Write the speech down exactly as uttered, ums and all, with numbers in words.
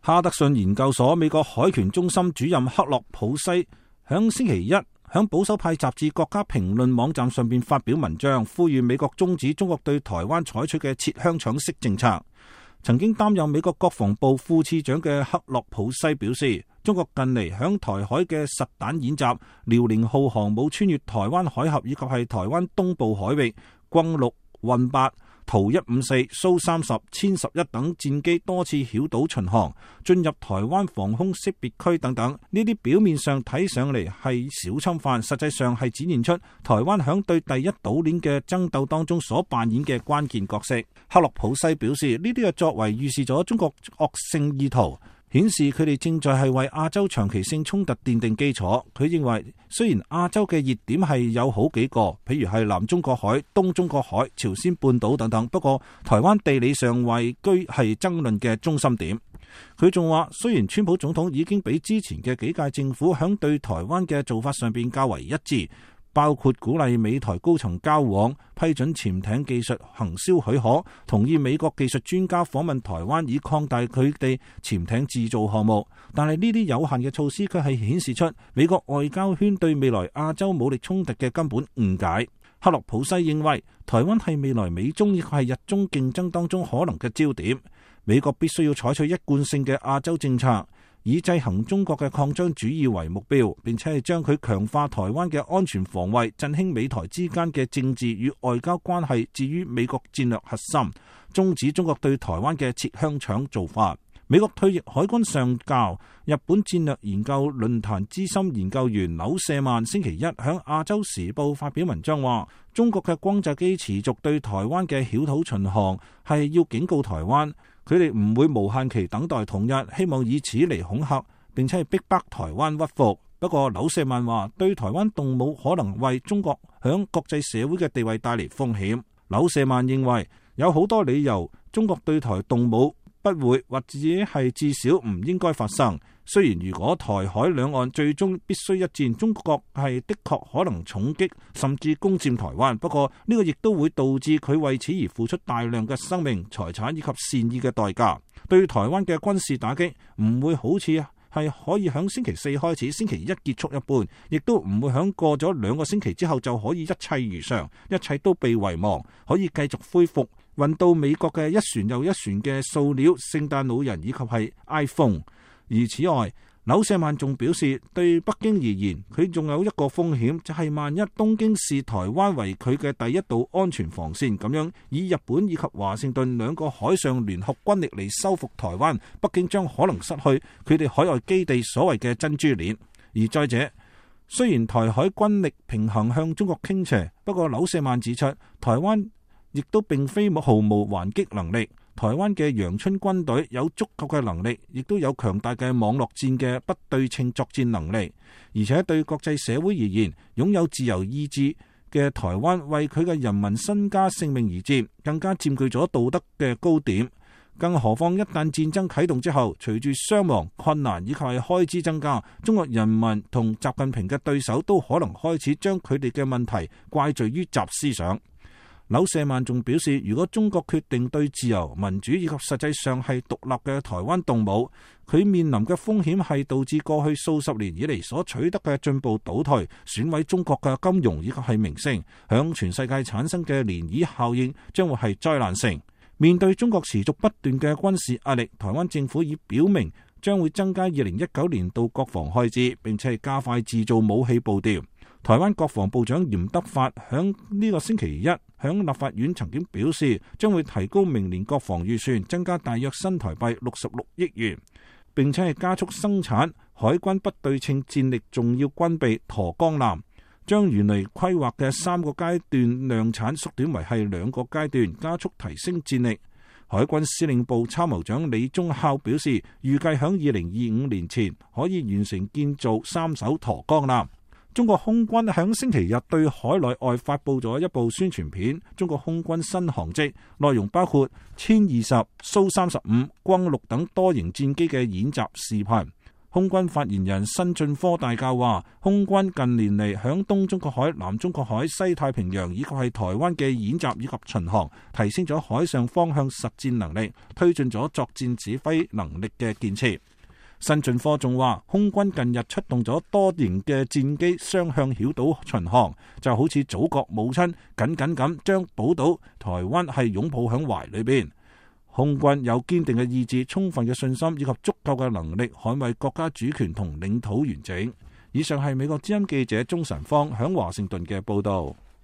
哈德遜研究所美國海權中心主任克洛普西響星期一響保守派雜誌《國家評論》網站上邊發表文章，呼籲美國終止中國對台灣採取嘅切香腸式政策。曾經擔任美國國防部副次長嘅克洛普西表示，中國近嚟響台海嘅實彈演習，遼寧號航母穿越台灣海峽以及係台灣東部海域，轟六、運八、圖一五四、蘇三十、殲十一等戰機多次繞島巡航，進入台灣防空識別區等等。呢啲表面上睇上嚟係小侵犯，實際上係展現出台灣響對第一島鏈嘅爭鬥當中所扮演嘅關鍵角色。克洛普西表示，呢啲嘅作為預示咗中國惡性意圖，顯示佢哋正在係為亞洲長期性衝突奠定基礎。佢認為，雖然亞洲嘅熱點係有好幾個，譬如係南中國海、東中國海、朝鮮半島等等，不過台灣地理上位居係爭論嘅中心點。佢仲話，雖然川普總統已經比之前嘅幾屆政府響對台灣嘅做法上邊較為一致，包括鼓勵美台高層交往、批准潛艇技術行銷許可、同意美國技術專家訪問台灣以擴大佢哋潛艇製造項目，但係呢啲有限嘅措施卻係顯示出美國外交圈對未來亞洲武力衝突嘅根本誤解。克洛普西認為，台灣係未來美中亦係日中競爭當中可能嘅焦點，美國必須要採取一貫性嘅亞洲政策，以制衡中國嘅擴張主義為目標，並且係將佢強化台灣嘅安全防衛、振興美台之間嘅政治與外交關係置於美國戰略核心，終止中國對台灣嘅切香腸做法。美國退役海軍上校、日本戰略研究論壇資深研究員柳舍曼星期一響亞洲時報發表文章話，中國嘅轟炸機持續對台灣嘅繞島巡航係要警告台灣，佢哋唔會無限期等待統一，希望以此嚟恐嚇並且係逼迫台灣屈服。不過柳舍曼話，對台灣動武可能為中國響國際社會嘅地位帶嚟風險。柳舍曼認為有好多理由中國對台動武不會或者係至少唔應該發生。雖然如果台海兩岸最終必須一戰，中國係的確可能重擊甚至攻佔台灣，不過呢個亦都會導致佢為此而付出大量嘅生命、財產以及善意嘅代價。對台灣嘅軍事打擊唔會好似係可以響星期四開始，星期一結束一般，亦都唔會響過咗兩個星期之後就可以一切如常，一切都被遺忘，可以繼續恢復運到美國嘅一船又一船嘅塑料、聖誕老人以及係 iPhone。而此外，柳舍曼仲表示，對北京而言，佢仲有一個風險，就係萬一東京視台灣為佢嘅第一道安全防線，咁樣以日本以及華盛頓兩個海上聯合軍力嚟收復台灣，北京將可能失去佢哋海外基地所謂嘅珍珠鏈。而再者，雖然台海軍力平衡向中國傾斜，不過柳舍曼指出，台灣亦都並非毫無還擊能力。台灣嘅陽春軍隊有足夠嘅能力，亦都有強大嘅網絡戰嘅不對稱作戰能力，而且對國際社會而言，擁有自由意志嘅台灣為佢嘅人民身家性命而戰，更加佔據咗道德嘅高點。更何況一旦戰爭啟動之後，隨住傷亡、困難以及係開支增加，中國人民同習近平嘅對手都可能開始將佢哋嘅問題怪罪於習思想。柳舍曼仲表示，如果中國決定對自由、民主以及實際上係獨立嘅台灣動武，佢面臨嘅風險係導致過去數十年以嚟所取得嘅進步倒退，損毀中國嘅金融以及係名聲，響全世界產生嘅漣漪效應將會係災難性。面對中國持續不斷嘅軍事壓力，台灣政府已表明將會增加二零一九年度國防開支，並且係加快製造武器步調。台灣國防部長嚴德發響呢個星期一響立法院曾經表示，將會提高明年國防預算，增加大約新台幣六十六億元，並且係加速生產海軍不對稱戰力重要軍備沱江艦，將原來規劃嘅三個階段量產縮短為係兩個階段，加速提升戰力。海軍司令部參謀長李宗孝表示，預計響二零二五年前可以完成建造三艘沱江艦。中國空軍響星期日對海內外發佈咗一部宣傳片，中國空軍新航跡，內容包括殲二十、蘇三十五、轟六等多型戰機嘅演習視頻。空軍發言人辛俊科大校話，空軍近年嚟響東中國海、南中國海、西太平洋以及係台灣嘅演習以及巡航，提升咗海上方向實戰能力，推進咗作戰指揮能力嘅建設。辛俊科仲話，空軍近日出動咗多型嘅戰機雙向繞島巡航，就好似祖國母親緊緊咁將寶島台灣係擁抱響懷裏邊。空軍有堅定嘅意志、充分嘅信心以及足夠嘅能力捍衛國家主權同領土完整。以上係美國之音記者鍾晨芳響華盛頓嘅報道。